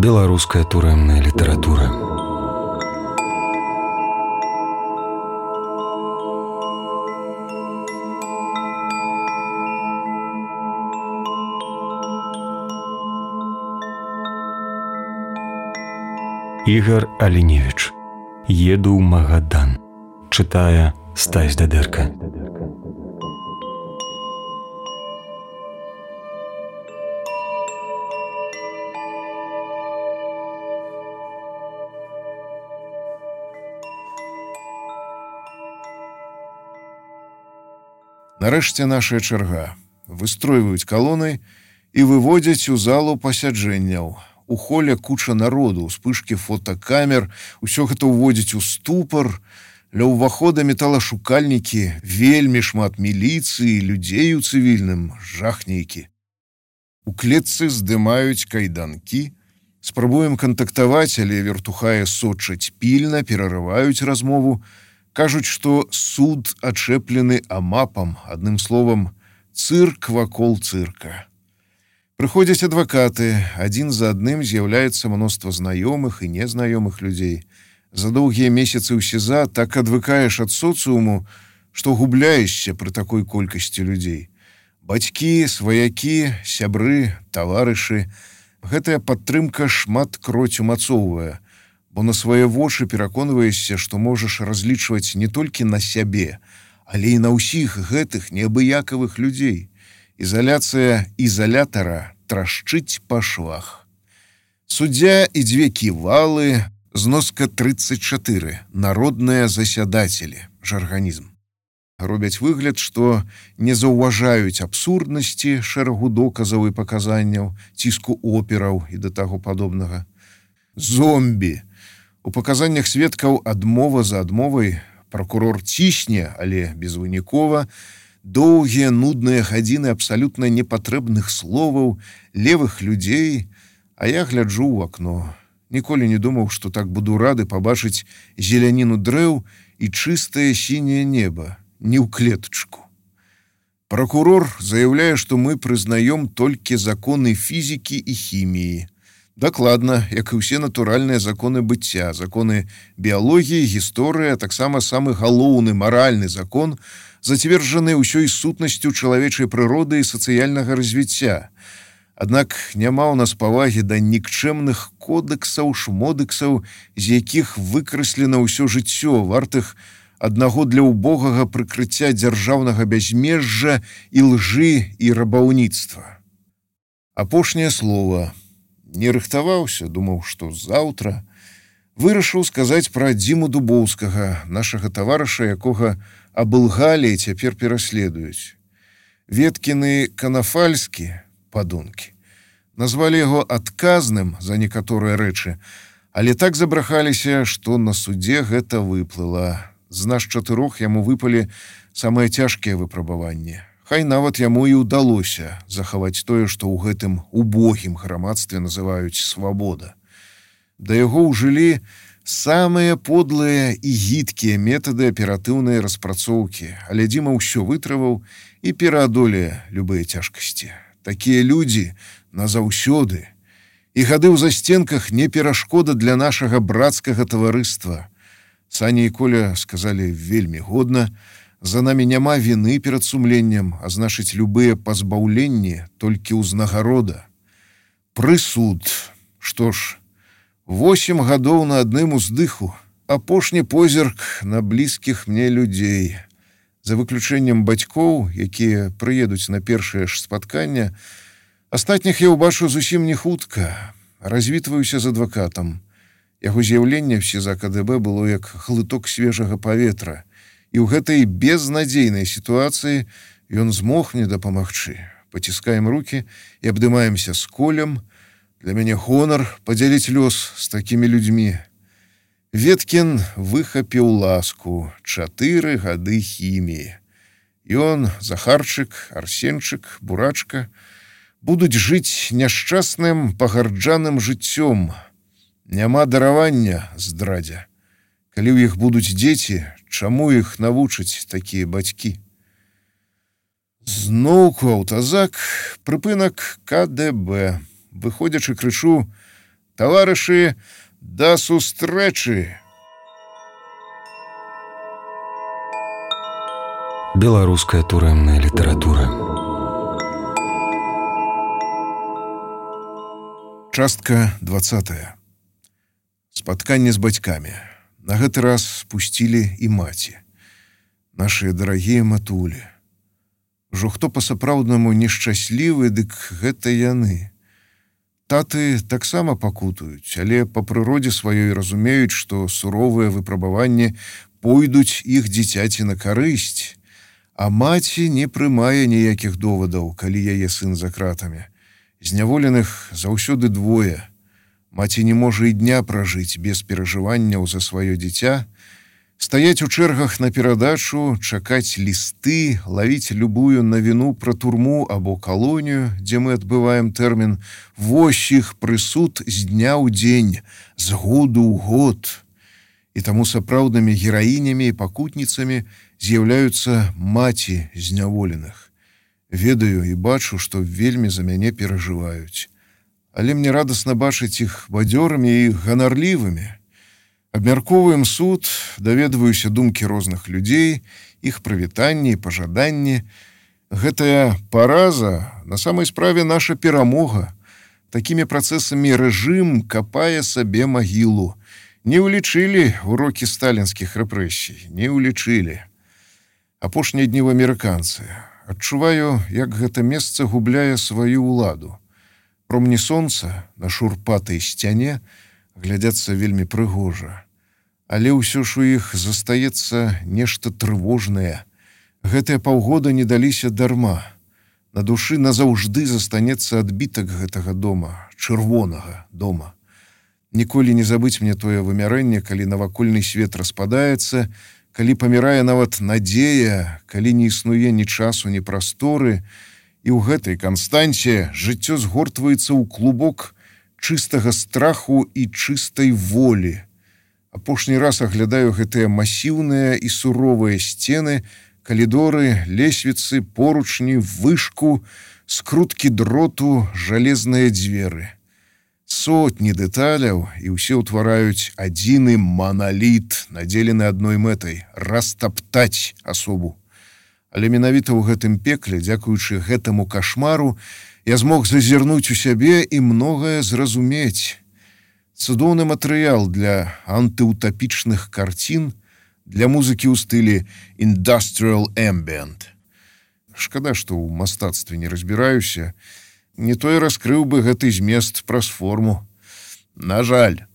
Беларуская турэмная літаратура. Ігар Аліневіч. Еду ў Магадан. Чытае Стась Дадэрка. Нарэшце нашая чарга. Выстройваюць калоны і выводзяць у залу пасяджэнняў. У холе куча народу, успышкі фотокамер, усё гэта ўводзіць у ступар. Ля ўвахода металашукальнікі, вельмі шмат міліцыі, людзей у цывільным, жах нейкі. У клетцы здымаюць кайданкі. Спрабуем кантактаваць, але вертухае сочаць пільна, перарываюць размову. Кажуць, што суд ачэплены амапам, адным словам, цырк вакол цырка. Прыходзяць адвакаты, адзін за адным з'яўляецца мноства знаёмых і незнаёмых людзей. За доўгія месяцы ў СІЗА так адвыкаеш ад соцыуму, што губляешся пры такой колькасці людзей. Бацькі, сваякі, сябры, таварышы. Гэтая падтрымка шмат кроць умацоўвае, бо на свае вочы пераконваешся, што можаш разлічваць не толькі на сябе, але і на ўсіх гэтых неабыякавых людзей. Ізаляцыя ізалятара трашчыць па швах. Суддзя і дзве ківалы, зноска 34, народныя засядацелі, жарганізм. Робяць выгляд, што не заўважаюць абсурднасці шэрагу доказаў і паказанняў, ціску операў і да таго падобнага. Зомбі. У паказаннях сведкаў адмова за адмовай, пракурор цісне, але безвынікова, доўгія нудныя гадзіны абсалютна непатрэбных словаў, левых людзей, а я гляджу ў акно. Ніколі не думаў, што так буду рады пабачыць зеляніну дрэў і чыстае сіняе неба, не ў клетачку. Пракурор заяўляе, што мы прызнаём толькі законы фізікі і хіміі. Дакладна, як і ўсе натуральныя законы быцця, законы біялогіі, гісторыі, а таксама самы галоўны маральны закон, зацверджаны ўсёй сутнасцю чалавечай прыроды і сацыяльнага развіцця. Аднак няма ў нас павагі да нікчэмных кодэксаў, шмодэксаў, з якіх выкраслена ўсё жыццё, вартых аднаго для ўбогага прыкрыцця дзяржаўнага бязмежжа і лжы і рабаўніцтва. Апошняе слова. Не рыхтаваўся, думаў, што заўтра. Вырашыў сказаць пра Дзіму Дубоўскага, нашага таварыша, якога абылгалі і цяпер пераследуюць. Веткіны Канафальскі, падонкі, назвалі яго адказным за некаторыя рэчы, але так забрахаліся, што на судзе гэта выплыла. З нас 4 яму выпалі самыя цяжкія выпрабаванні. Хай нават яму і ўдалося захаваць тое, што ў гэтым убогім грамадстве называюць свабода. Да яго ўжылі самыя подлыя і гідкія метады аператыўнай распрацоўкі, але Дзіма ўсё вытрываў і пераадолее любыя цяжкасці. Такія людзі назаўсёды. І гады ў застенках не перашкода для нашага брацкага таварыства. Саня і Коля сказалі вельмі годна, за намі няма віны перад сумленнем, а значыць, любыя пазбаўленні толькі ўзнагарода. Прысуд. Што ж, 8 гадоў на адным уздыху. Апошні позірк на блізкіх мне людзей. За выключэннем бацькоў, якія прыедуць на першае ж спатканне, астатніх я ўбачу зусім не хутка. Развітваюся з адвакатам. Яго з'яўленне в СІЗА КДБ было як глыток свежага паветра. І ў гэтай безнадзейнай сітуацыі ён змог мне дапамагчы. Паціскаем рукі і абдымаемся з Колем. Для мяне гонар падзяліць лёс з такімі людзьмі. Веткін выхапіў ласку. 4 гады хіміі. Ён, Захарчык, Арсенчык, Бурачка будуць жыць няшчасным пагарджаным жыццём. Няма даравання, здрадзя. Калі ў іх будуць дзеці, чаму іх навучаць такія бацькі? Зноўку аўтазак, прыпынак КДБ. Выходзячы, крычу: Таварышы, да сустрэчы! Беларуская турэмная літаратура. Частка 20. Спатканне з бацькамі. На гэты раз спусцілі і маці. Нашыя дарагія матулі. Ужо хто па-сапраўднаму нешчаслівы, дык гэта яны. Таты таксама пакутаюць, але па прыродзе сваёй разумеюць, што суровыя выпрабаванні пойдуць іх дзіцяці на карысць, а маці не прымае ніякіх довадаў, калі яе сын за кратамі. Зняволеных заўсёды двое. Маці не можа і дня пражыць без перажыванняў за сваё дзіця, стаяць у чэргах на перадачу, чакаць лісты, лавіць любую навіну пра турму або калонію, дзе мы адбываем тэрмін, вось іх прысуд з дня ў дзень, з году ў год. І таму сапраўднымі гераінямі і пакутніцамі з'яўляюцца маці зняволеных. Ведаю і бачу, што вельмі за мяне перажываюць. Але мне радасна бачыць іх бадзёрымі і ганарлівымі. Абмяркоўваем суд, даведваюся думкі розных людзей, іх прывітанні і пажаданні. Гэтая параза на самай справе наша перамога. Такімі працэсамі рэжым капае сабе магілу. Не ўлічылі урокі сталінскіх рэпрэсій, не ўлічылі. Апошнія дні ў амерыканцы. Адчуваю, як гэта месца губляе сваю ўладу. Промні сонца на шурпатай сцяне глядзяцца вельмі прыгожа. Але ўсё ж у іх застаецца нешта трывожнае. Гэтыя паўгода не даліся дарма. На душы назаўжды застанецца адбітак гэтага дома, чырвонага дома. Ніколі не забыць мне тое вымярэнне, калі навакольны свет распадаецца, калі памірае нават надзея, калі не існуе ні часу, ні прасторы, і ў гэтай канстанце жыццё згортваецца ў клубок чыстага страху і чыстай волі. Апошні раз аглядаю гэтыя масіўныя і суровыя сцены, калідоры, лесвіцы, поручні, вышку, скруткі дроту, жалезныя дзверы. Сотні дэталяў, і ўсе ўтвараюць адзіны маналіт, надзелены адной мэтай – растаптаць асобу. Але менавіта ў гэтым пекле, дзякуючы гэтаму кашмару, я змог зазірнуць у сябе і многае зразумець. Цудоўны матэрыял для антыутапічных карцін, для музыкі ў стылі industrial ambient. Шкада, што ў мастацтве не разбіраюся, не то і раскрыў бы гэты змест праз форму. На жаль.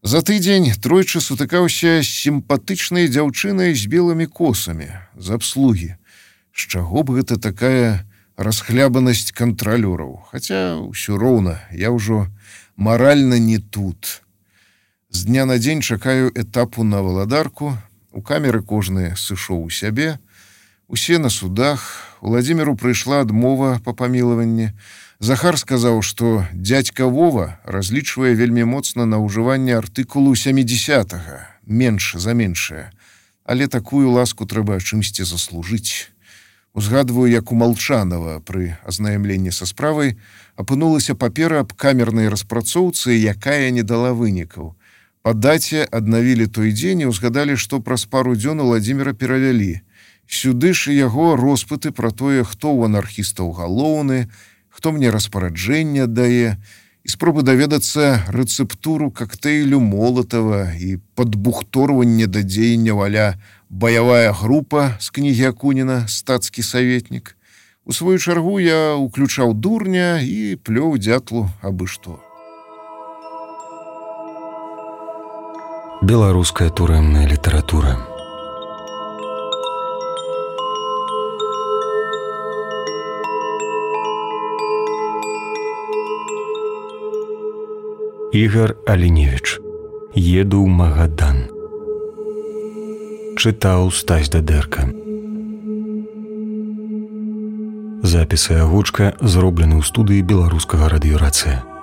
За тыдзень тройчы сутыкаўся з сімпатычнай дзяўчынай з белымі косамі з абслугі. З чаго б гэта такая расхлябанасць кантралёраў? Хаця ўсё роўна, я ўжо маральна не тут. З дня на дзень чакаю этапу на валадарку, у камеры кожны сышоў у сябе, усе на судах, Уладзіміру прыйшла адмова па памілаванні. Захар сказаў, што дзядзька Вова разлічвае вельмі моцна на ўжыванне артыкулу 70-га, менш за меншае. Але такую ласку трэба чымсьці заслужыць. Узгадваю, як у Малчанова пры азнаямленні са справай апынулася папера аб камернай распрацоўцы, якая не дала вынікаў. Па даце аднавілі той дзень і ўзгадалі, што праз пару дзён Уладзіміра перавялі. Сюды ж яго роспыты пра тое, хто ў анархістаў галоўны, хто мне распараджэнне аддае, і спробы даведацца рэцэптуру кактэйлю Молатава і падбухторванне да дзеянняў а-ля «Баявая група» з кнігі Акуніна «Стацкі саветнік». У сваю чаргу я уключаў дурня і плёў дзятлу абы што. Беларуская турэмная літаратура. Ігар Аліневіч. Еду ў Магадан. Чытаў Стась Дадэрка. Запісы агучка зроблены ў студыі беларускага радыёрацыя.